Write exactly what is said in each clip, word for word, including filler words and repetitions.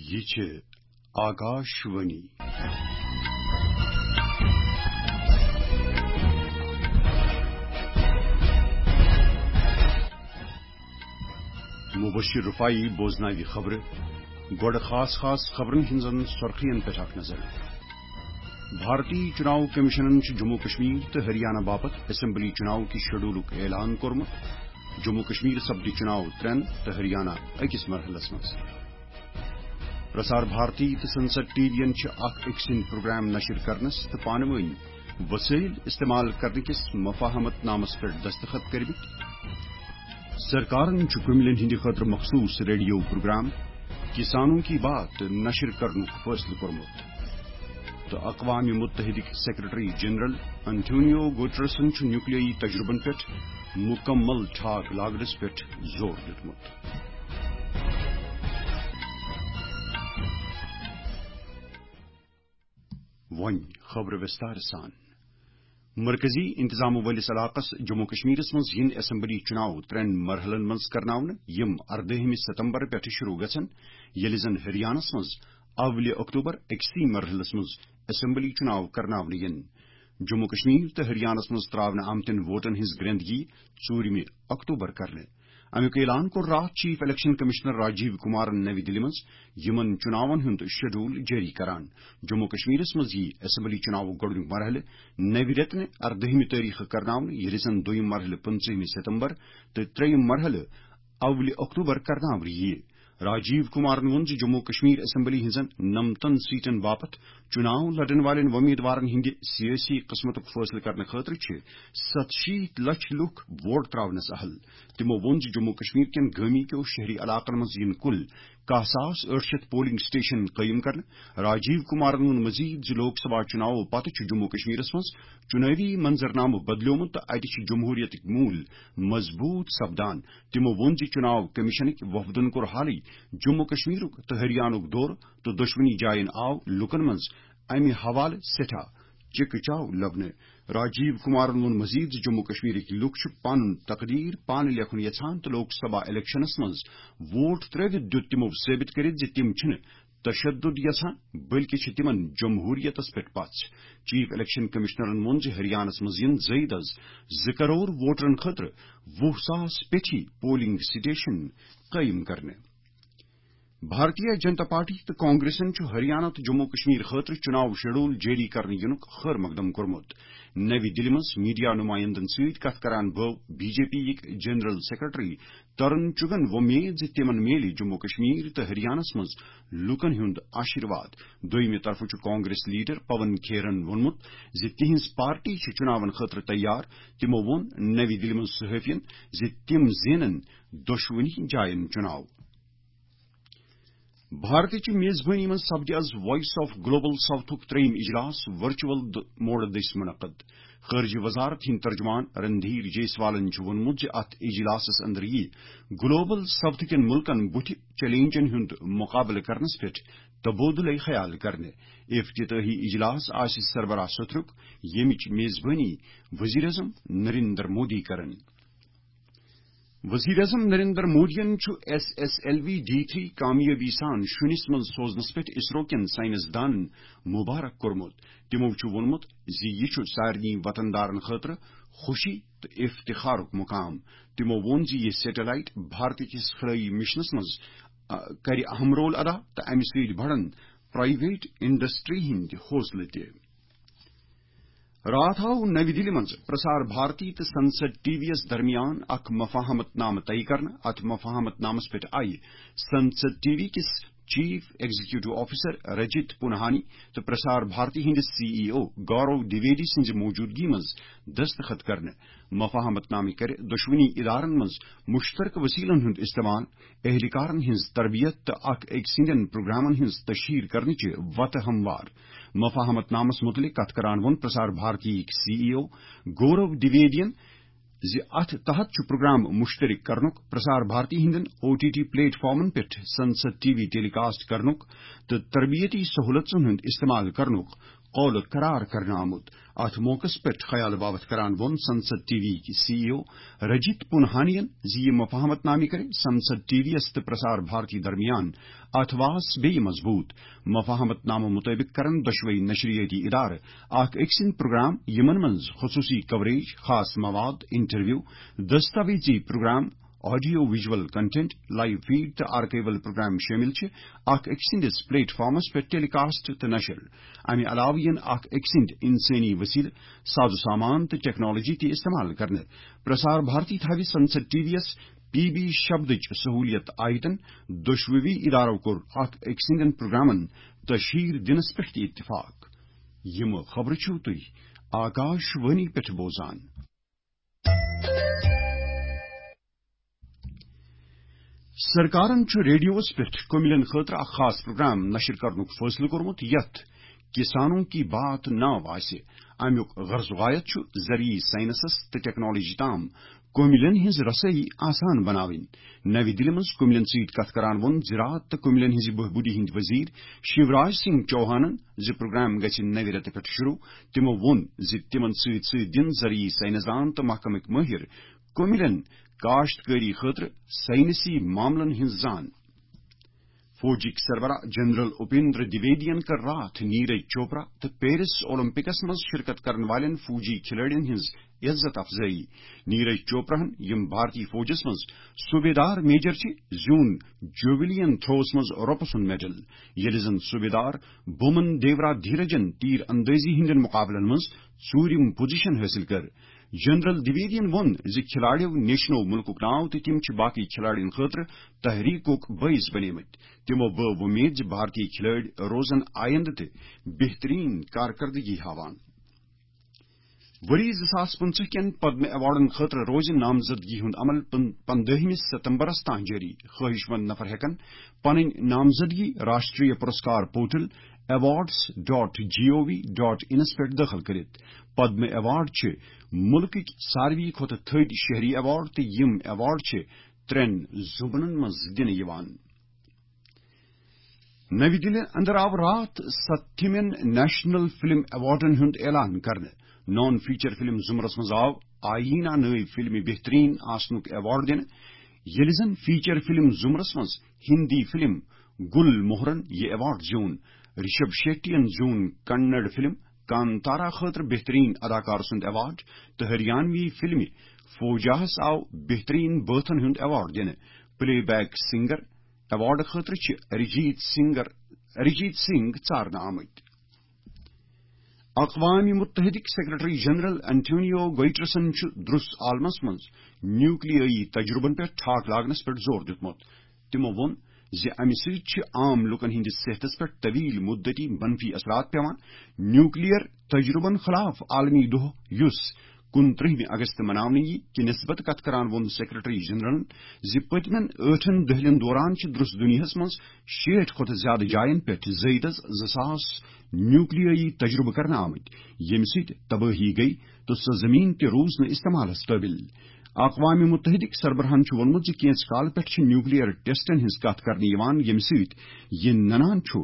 یہِ چھِ آکاشوانی۔ مبشر رفاعی بوزناوِ خبرٕ۔ گۄڈٕ خاص خاص خبرن ہٕنٛزن سرخین پٮ۪ٹھ اکھ نظر۔ بھارتی چناو کمیشنن چھُ جموں کشمیر تہٕ ہریانہ باپتھ اسمبلی چناو کہِ شیڈولُک اعلان کوٚرمُت۔ جموں کشمیر سپدِ چناو ترٛٮ۪ن تہٕ ہریانہ أکِس مرحلس منٛز۔ پرسار بھارتی تہٕ سنسد ٹی وی ین چھِ اکھ أکۍ سٕنٛدۍ پروگرام نشر کرنس تہٕ پانہٕ وٲنۍ وسٲیل استعمال کرنہٕ کِس مفاہمت نامس پٮ۪ٹھ دستخط کٔرمٕتۍ۔ سرکارن چھُ کُمِلٮ۪ن ہٕنٛدِ خٲطرٕ مخصوص ریڈیو پروگرام کسانوں کی بات نشر کرنُک فٲصلہٕ کوٚرمُت۔ تہٕ اقوام متحدٕکۍ سیکرٹری جنرل انٹونیو گوٹرسن چھُ نیوکلیائی تجربن پٮ۪ٹھ مکمل ٹھاک لاگنس پٮ۪ٹھ زور دیُتمُت۔ وۄنۍ خبرٕ وِستار سان۔ مرکزی انتظام وٲلِس علاقس جموں کشمیرس منٛز یِن اسمبلی چناو ترٛٮ۪ن مرحلن منٛز کرناونہٕ، یِم اردٲہمہِ ستمبر پٮ۪ٹھٕ شروع گژھن، ییٚلہِ زن ہریانس منٛز اولِ اکتوبر أکسٕے مرحلس منٛز اسمبلی چناو کرناونہٕ یِن۔ جموں کشمیر تہٕ ہریانس منٛز تراونہٕ آمتٮ۪ن ووٹن ہٕنٛز گرندگی ژوٗرمہِ اکتوبر کرنہٕ۔ امیُک اعلان کوٚر راتھ chief election commissioner Rajiv Kumaran نوِ دِلہِ منٛز۔ یِمن چُناون ہُنٛد شیڈول جٲری کران۔ جموں کشمیرس منٛز یِیہِ اسمبلی چُناوُک گۄڈٕنیُک مرحلہٕ نوِ رٮ۪تہٕ نہِ اردٲہمہِ تٲریخہٕ کرناونہٕ، ییٚلہِ زن دوٚیِم مرحلہٕ پٕنٛژٕہمہِ ستمبر تہٕ ترٛیٚیِم مرحلہٕ اولِ اکتوبر کرناونہٕ یِیہِ۔ راجیو کمارن ووٚن زِ جموں کشمیر اسمبلی ہٕنٛزن نمتن سیٹن باپتھ چُناو لڑن والٮ۪ن وۄمیدوارن ہٕنٛدِ سیٲسی قٕسمتُک فٲصلہٕ کرنہٕ خٲطرٕ چھِ ستہٕ شیٖتھ لچھ لوٗکھ ووٹ تراونس اہل۔ تِمو ووٚن زِ جموں کشمیر کٮ۪ن گٲمی کیو شہری علاقن منٛز یِن کُل کاہ ساس ٲٹھ شیتھ پولنگ سٹیشن قٲیِم کرنہٕ۔ راجیو کمارن ووٚن مزید زِ لوک سبھا چُناوو پتہٕ چھُ جموں کشمیرس منٛز چُنٲوی منظرنامہٕ بدلیومُت تہٕ اتہِ چھِ جمہوریتٕکۍ موٗلۍ مضبوٗط سپدان۔ تِمو ووٚن زِ چُناو کمیشنٕکۍ وفدن کوٚر حالٕے جموں کشمیرُک تہٕ ہریانُک دورٕ تہٕ دۄشوٕنی جاین آو لوٗکن منٛز امہِ حوالہٕ سٮ۪ٹھاہ چکہٕ چاو لبنہٕ۔ راجیو کمارن ووٚن مزید زِ جموں کشمیرٕکۍ لوٗکھ چھِ پنُن تقدیر پانہٕ لیکھُن یژھان تہٕ لوک سبھا الیکشنس منٛز ووٹ ترٲوِتھ دیُت تِمو ثٲبت کٔرِتھ زِ تِم چھِنہٕ تشدد یژھان، بلکہِ چھِ تِمن جمہوریتس پٮ۪ٹھ پژھ۔ چیف الیکشن کمشنرن ووٚن زِ ہریانس منٛز یِن زٲیدس زٕ کرور ووٹرن خٲطرٕ وُہ ساس پیٹھی پولنگ سٹیشن قٲیِم کرنہٕ۔ بھارتیہ جنتا پارٹی تہٕ کانگریسن چھُ ہریانہ تہٕ جموں کشمیر خٲطرٕ چُناو شیڈول جٲری کرنہٕ یِنُک خٲر مقدم کوٚرمُت۔ نوِ دِلہِ منٛز میڈیا نُمایندن سۭتۍ کتھ کران بٲو بی جے پی یِکۍ جنرل سیکرٹری ترن چُگن وۄمید زِ تِمن میلہِ جموں کشمیر تہٕ ہریانس منٛز لوٗکن ہُنٛد آشیرواد۔ دوٚیمہِ طرفہٕ چھُ کانگریس لیڈر پون کھیرن ووٚنمُت زِ تِہنٛز پارٹی چھِ چُناون خٲطرٕ تیار۔ تِمو ووٚن نوِ دِلہِ منٛز صحافین زِ تِم زینن دۄشوٕنی جاین چُناو۔ بھارتٕچ میزبٲنی منٛز سپدِ از وائس آف گلوبل ساؤتھُک ترٛیٚیِم اجلاس ورچوئل د-، موڈٕ دٔسۍ منعقد۔ خارجہ وزارت ہٕنٛدۍ ترجمان رندھیر جیسوالن چھُ ووٚنمُت زِ اتھ اجلاسس اندر یِیہِ گلوبل ساؤتھ کٮ۪ن مُلکن بُتھِ چیلنجن ہُنٛد مقابلہٕ کرنس پٮ۪ٹھ تبادلہ خیال کرنہٕ۔ افتتاحی اجلاس آسہِ سربراہ سترُک، ییٚمِچ میزبٲنی وزیر اعظم نریندر مودی کرن۔ وزیر اعظم نریندر مودیَن چھُ S S L V D three کامیٲبی سان شُنِس منٛز سوزنس پٮ۪ٹھ اسرو کٮ۪ن سائنس دانن مبارک کوٚرمُت۔ تِمو چھُ ووٚنمُت زِ یہِ چھُ سارنٕے وطن دارن خٲطرٕ خوشی تہٕ افتخارُک مقام۔ تِمو ووٚن زِ یہِ سیٹلائٹ بھارت کِس خلٲئی مشنس منٛز، آ، کرِ اہم رول ادا تہٕ امہِ سۭتۍ بڑن پرائیویٹ انڈسٹری ہٕنٛدۍ حوصلہٕ تہِ۔ راتھ آو نوِ دِلہِ منٛز پرسار بھارتی تہٕ سنسد ٹی وی یَس درمیان اکھ مفاہمت نامہٕ طے کرنہٕ۔ اتھ مفاہمت نامس پٮ۪ٹھ آیہِ سنسد ٹی وی کِس چیف ایگزیکٹو آفیسر رجت پونہانی تہٕ پرسار بھارتی ہٕنٛدِس سی ای او گورو دویدی سٕنٛزِ موجودگی منٛز دستخط کرنہٕ۔ مفاہمت نامہٕ کرِ دۄشوٕنی ادارن منٛز مشترکہٕ وسیلن ہُنٛد استعمال، اہلکارن ہٕنٛز تربیت تہٕ اکھ أکۍ سٕنٛدٮ۪ن پروگرامن ہٕنٛز تشہیر کرنٕچہِ وتہٕ ہموار۔ مفاہمت نامس متعلق کتھ کران ووٚن پرسار بھارتی یِکۍ سی ای او گورو دویدین زِ اتھ تحت چھُ پروگرام مشترک کرنُک، پرسار بھارتی ہٕنٛدٮ۪ن او ٹی ٹی پلیٹ فارمن پٮ۪ٹھ سنسد ٹی وی ٹیلی کاسٹ کرنُک تہٕ تربیتی سہولژن ہُنٛد استعمال کرنُک قول قرار کرنہٕ آمُت۔ اتھ موقعس پٮ۪ٹھ خیال باوتھ کران ووٚن سنسد ٹی وی کی سی ای او رجت پنہانین زِ یہِ مفاہمت نامہٕ کرِ سنسد ٹی وی یس تہٕ پرسار بھارتی درمیان اتھواس بیٚیہِ مضبوٗط۔ مفاہمت نامہٕ مُطٲبِق کرن دۄشوے نشریٲتی ادارٕ اکھ أکۍ سٕنٛدۍ پروگرام، یِمن منٛز خصوٗصی کوریج، خاص مواد، انٹرویو، دستاویزی programme, audio visual content, live feed تہٕ آرکائیول پروگرام شٲمِل چھِ، اکھ أکۍ سٕنٛدِس پلیٹ فارمس پٮ۪ٹھ ٹیلی کاسٹ تہٕ نشر۔ امہِ علاوٕ یِن اکھ أکۍ سٕنٛدۍ انسٲنی وسیلہٕ، ساز و سامان تہٕ ٹیکنالوجی تہِ استعمال کرنہٕ۔ پرسار بھارتی تھاوِ سنسد ٹی وی یس پی بی شبدٕچ سہولیت آیتن دۄشوٕے ادارو کوٚر اکھ أکۍ سٕنٛدٮ۪ن پروگرامن تشہیر دِنس پٮ۪ٹھ تہِ اتفاق۔ یِم خبرٕ چھِو تُہۍ آکاش وانی پٮ۪ٹھ بوزان۔ سرکارن چھُ ریڈیوس پٮ۪ٹھ کٔمِلٮ۪ن خٲطرٕ اکھ خاص پروگرام نشر کرنُک فٲصلہٕ کوٚرمُت، یتھ کسانوں کی بات ناو آسہِ۔ امیُک غرض و غایت چھُ زرعی سائنسس تہٕ ٹیکنالوجی تام کٔمِلٮ۪ن ہٕنٛز رسٲیی آسان بناوٕنۍ۔ نَوِ دِلہِ منٛز کٔمِلٮ۪ن سۭتۍ کتھ کران ووٚن زراعت تہٕ کٔمِلٮ۪ن ہٕنٛزِ بہبوٗدی ہٕنٛدۍ وزیر شیوراج سنگھ چوہانن زِ پروگرام گژھِ نَوِ رٮ۪تہٕ پٮ۪ٹھ شروع۔ تِمو ووٚن زِ تِمن سۭتۍ سۭتۍ دِن زرعی سائنسدان تہٕ محکمٕکۍ مٲہِر کٔمِلٮ۪ن کاشتکٲری خٲطرٕ سائنسی معاملن ہٕنٛز زان۔ فوجٕکۍ سربراہ جنرل اپیندر دویدین کٔر راتھ نیرج چوپرا تہٕ پیرس اولمپکس منٛز شرکت کرن والٮ۪ن فوجی کھلٲڑٮ۪ن ہٕنٛز عزت افزٲیی۔ نیرج چوپراہن، یِم بھارتی فوجس منٛز صوبیدار میجر چھِ، زیوٗن جویلین تھروس منٛز رۄپہٕ سُنٛد میڈل، ییٚلہِ زن صوبیدار بومن دیورا دھیرجن تیر اندٲزی ہٕنٛدٮ۪ن مقابلن منٛز ژوٗرِم پوزیشن حٲصِل کٔر۔ جنرل دویدین ووٚن زِ کھلاڑیو نیچھنوو مُلکُک ناو تہٕ تِم چھِ باقی کھلاڑین خٲطرٕ تحریکُک بٲعث بنیمٕتۍ۔ تِمو بٲو وۄمید زِ بھارتی کھلٲڑۍ روزن آیندٕ تہِ بہترین کارکردگی ہاوان۔ ؤری زٕ ساس پٕنٛژٕہ کٮ۪ن پدم ایوارڈن خٲطرٕ روزِ نامزدگی ہُنٛد عمل پن-، پندٲہمہِ ستمبرس تام جٲری۔ خٲہِش مند نفر ہٮ۪کن پنٕنۍ نامزدگی Rashtriya Puraskar portal awards dot gov dot inس پٮ۪ٹھ دٲخل کٔرِتھ۔ پدم ایوارڈ چھِ مُلکٕکۍ ساروی کھۄتہٕ تھٔدۍ شہری ایوارڈ تہٕ یِم ایوارڈ چھِ ترٛٮ۪ن زُمرن منٛز دِنہٕ یِوان۔ نَوِ دِلہِ اندر آو راتھ ستتھمین نیشنل فلم ایوارڈن ہُنٛد اعلان کرنہٕ۔ نان فیچر فلم زُمرس منٛز آو آئینہ نٲوۍ فلمہِ بہترین آسنُک ایوارڈ دِنہٕ، ییٚلہِ زن فیچر فلم زُمرس منٛز ہندی فلم گل موہرن یہِ ایوارڈ زیوٗن۔ رشب شیٹین زیوٗن کنڑ فلم کانتارا خٲطرٕ بہترین اداکار سُنٛد ایوارڈ تہٕ ہریانوی فلمہِ فوجاہس آو بہترین بٲتھن ہُنٛد ایوارڈ دِنہٕ۔ پلے بیک سنگر ایوارڈ خٲطرٕ چھِ ارجیت سنگر، ارجیت سنگھ ژارنہٕ آمٕتۍ۔ اقوام متحدٕکۍ سیکرٹری جنرل انٹونیو گوئٹرسن چھُ درس عالمس منٛز نیوکلیٲیی تجربن پٮ۪ٹھ ٹھاک لاگنس پٮ۪ٹھ زور دیُتمُت۔ تِمو ووٚن زِ امہِ سۭتۍ چھِ عام لوٗکن ہٕنٛدِس صحتس پٮ۪ٹھ طویل مدتی منفی اثرات پٮ۪وان۔ نیوکلیئر تجربن خلاف عالمی دۄہ، یُس کُنترٛہمہِ اگست مناونہٕ یِیہِ، کہِ نسبت کتھ کران ووٚن سیکرٹری جنرلن زِ پٔتمٮ۪ن ٲٹھن دٔہلٮ۪ن دوران چھِ درس دُنیاہس منٛز شیٹھ کھۄتہٕ زیادٕ جاین پٮ۪ٹھ زٲیدس زٕ ساس نیوکلیٲیی تجربہٕ کرنہٕ آمٕتۍ، ییٚمہِ سۭتۍ تبٲہی گٔیہِ تہٕ سۄ زمین تہِ روٗز نہٕ استعمالس قٲبل۔ اقوام متحدٕکۍ سربراہن چھُ ووٚنمُت زِ کینٛژھِ کالہٕ پٮ۪ٹھ چھِ نیوکلیئر ٹیسٹن ہٕنٛز کتھ کرنہٕ یِوان، ییٚمہِ سۭتۍ یہِ ننان چھُ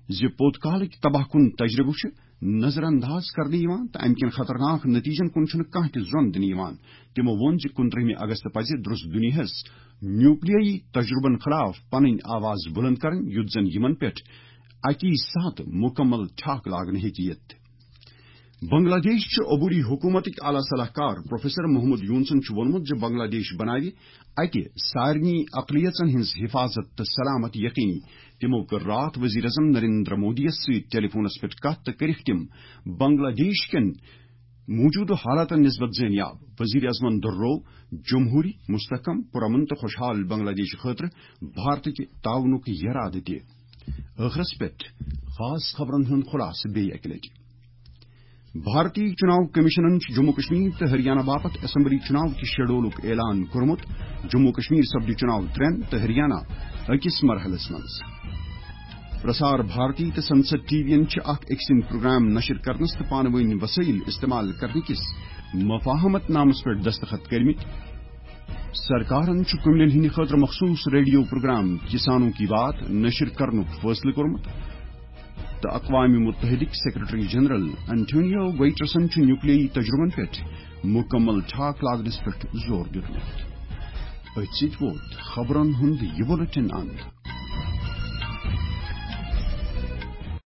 زِ پوٚت کالٕکۍ تباہ کُن تجربہٕ چھِ نظر انداز کرنہٕ یِوان تہٕ امہِ کٮ۪ن خطرناک نتیجن کُن چھُنہٕ کانٛہہ تہِ ظۄن دِنہٕ یِوان۔ تِمو ووٚن زِ کُنترٛہمہِ اگست پزِ درست دُنیاہس نیوکلیٲیی تجربن خلاف پنٕنۍ آواز بلند کرٕنۍ، یُتھ زن یِمن پٮ۪ٹھ اکی ساتہٕ مکمل ٹھاک لاگنہٕ ہیٚکہِ یِتھ۔ بنگلہ دیش چہِ عبوری حکومتٕکۍ اعلیٰ صلاح کار پروفیسر محمد یونسن چھُ ووٚنمُت زِ بنگلہ دیش بناوِ اتہِ سارنٕے اقلیژن ہٕنٛز حفاظت تہٕ سلامت یقینی۔ تِمو کٔر راتھ وزیر اعظم نریندر مودی یَس سۭتۍ ٹیلی فونس پٮ۪ٹھ کتھ تہٕ کٔرِکھ تِم بنگلہ دیش کٮ۪ن موجودٕ حالاتن نسبت زٲنیاب۔ وزیر اعظمن دۄہروو جمہوری، مستحکم، پرامن تہٕ خوشحال بنگلہ دیش خٲطرٕ بھارتٕکہِ تعاونُک یرادٕ تہِ۔ ٲخرس پٮ۪ٹھ خاص خبرن ہُنٛد خلاصہٕ بیٚیہِ اکہِ لٹہِ۔ بھارتی چناو کمیشنن چھُ جموں کشمیر تہٕ ہریانہ باپتھ اسمبلی چناو کہِ شیڈولُک اعلان کوٚرمُت۔ جموں کشمیر سپدِ چناو ترٛٮ۪ن تہٕ ہریانہ أکِس مرحلس منٛز۔ پرسار بھارتی تہٕ سنسد ٹی وی ین چھِ اکھ أکۍ سٕنٛدۍ پروگرام نشر کرنس تہٕ پانہٕ وٲنۍ وسٲیل استعمال کرنہٕ کِس مفاہمت نامس پٮ۪ٹھ دستخط کٔرمٕتۍ۔ سرکارن چھُ کٔمِلٮ۪ن ہٕنٛدِ خٲطرٕ مخصوٗص ریڈیو پروگرام کسانوں کی بات نشر کرنُک فٲصلہٕ کوٚرمُت۔ تہٕ اقوام متحدٕکۍ سیکرٹری جنرل انٹونیو گوئٹرسن چھُ نیوکلیائی تجربن پٮ۪ٹھ مکمل ٹھاک لاگنس پٮ۪ٹھ زور دیُتمُت۔ أتھۍ سۭتۍ ووت خبرن ہُنٛد یہِ بُلٹن اند۔